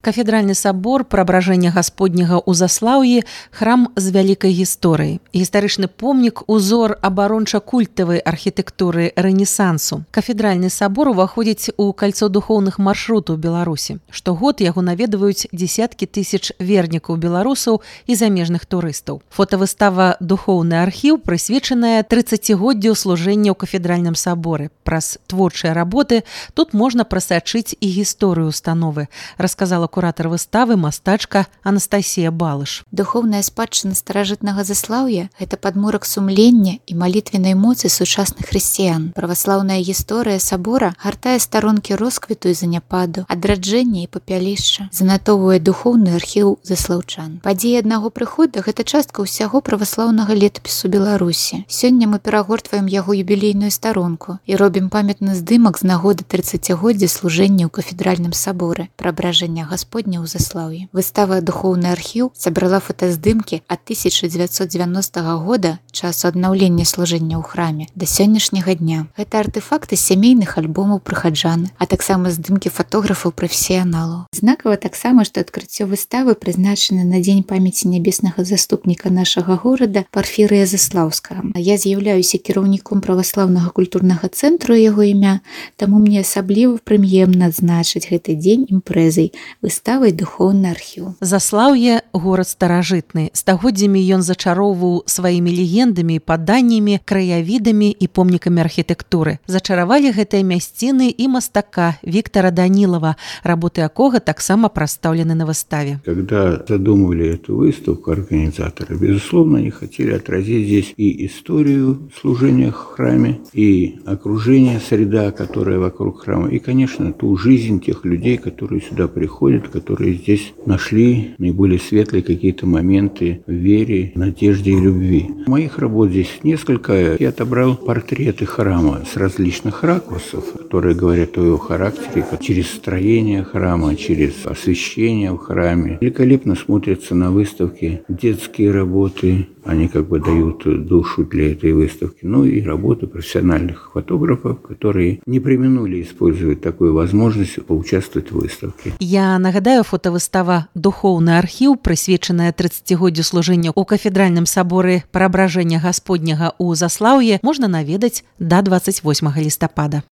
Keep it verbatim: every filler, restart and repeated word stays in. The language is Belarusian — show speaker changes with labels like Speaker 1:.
Speaker 1: Кафедральны сабор Преображення Гасподняга ў Заслаўі – храм з вялікай гісторыяй. Гістарычны помнік – узор абаронча-культавай архітэктуры рэнесансу. Кафедральны сабор уваходзіць у кальцо духоўных маршрутаў Беларусі. Штогод яго наведваюць дзесяткі тысяч вернікаў беларусаў і замежных турыстаў. Фотавыстава «Духоўны архіў» прысвечаная трыццацігоддзю служэння ў кафедральным саборы. Праз творчыя работы тут можна прасачыць і гісторыю установы, расказала куратар выставы мастачка Анастасія Балыш.
Speaker 2: Духоўная спадчына старажытнага Заслаўя – гэта падмурак сумлення і малітвеннай моцы сучасных хрысціян. Праваслаўная гісторыя сабора гартае старонкі росквіту і заняпаду, адраджэння і папялішча, занатоўвае духоўны архіў заслаўчан. Падзеі аднаго прыхода – гэта частка ўсяго праваслаўнага летапісу Беларусі. Сёння мы перагортваем яго юбілейную старонку і робім памятны здымак з нагоды трыццацігоддзя служэння ў кафедральным саборы Преображення Гасподня ў Заслаўі. Выстава «Духоўны архіў» сабрала фотаздымкі ад тысяча дзевяцьсот дзевяностага года, часу аднаўлення служэння ў храме, да сённяшняга дня. Гэта артэфакты сямейных альбомаў прыхаджан, а таксама здымкі фатографаў-прафесіяналаў. Знакава таксама, што адкрыццё выставы прызначана на дзень памяці нябеснага заступніка нашага горада Парфірыя Заслаўскага. Я з'яўляюся кіраўніком праваслаўнага культурнага цэнтру яго імя, таму мне асабліва прыемна адзначыць гэты дзень імпрэзай выставай «Духоўны архіў».
Speaker 1: Заслаўе – горад старажытны. Стагоддзямі ён зачароўваў сваімі легендамі, паданнямі, краявідамі і помнікамі архітэктуры. Зачаравалі гэтыя мясціны і мастака Віктора Данилова, работы якога таксама прадстаўлены на выставе.
Speaker 3: Когда задумывали эту выставку организаторы, безусловно, они хотели отразить здесь и историю служения в храме, и окружение, среда, которая вокруг храма, и, конечно, ту жизнь тех людей, которые сюда приходят, которые здесь нашли наиболее светлые какие-то моменты в вере, надежде и любви. Моих работ здесь несколько. Я отобрал портреты храма с различных ракурсов, которые говорят о его характере, через строение храма, через освещение в храме. Великолепно смотрятся на выставке детские работы. Они как бы дают душу для этой выставки. Ну и работы профессиональных фотографов, которые не преминули использовать такую возможность поучаствовать в выставке.
Speaker 1: Я нагадаю, фотавыстава «Духоўны архіў», прысвечаная трыццацігоддзю служэння ў кафедральным саборы Преображення Гасподняга ў Заслаўі, можна наведаць да дваццаць восьмага лістапада.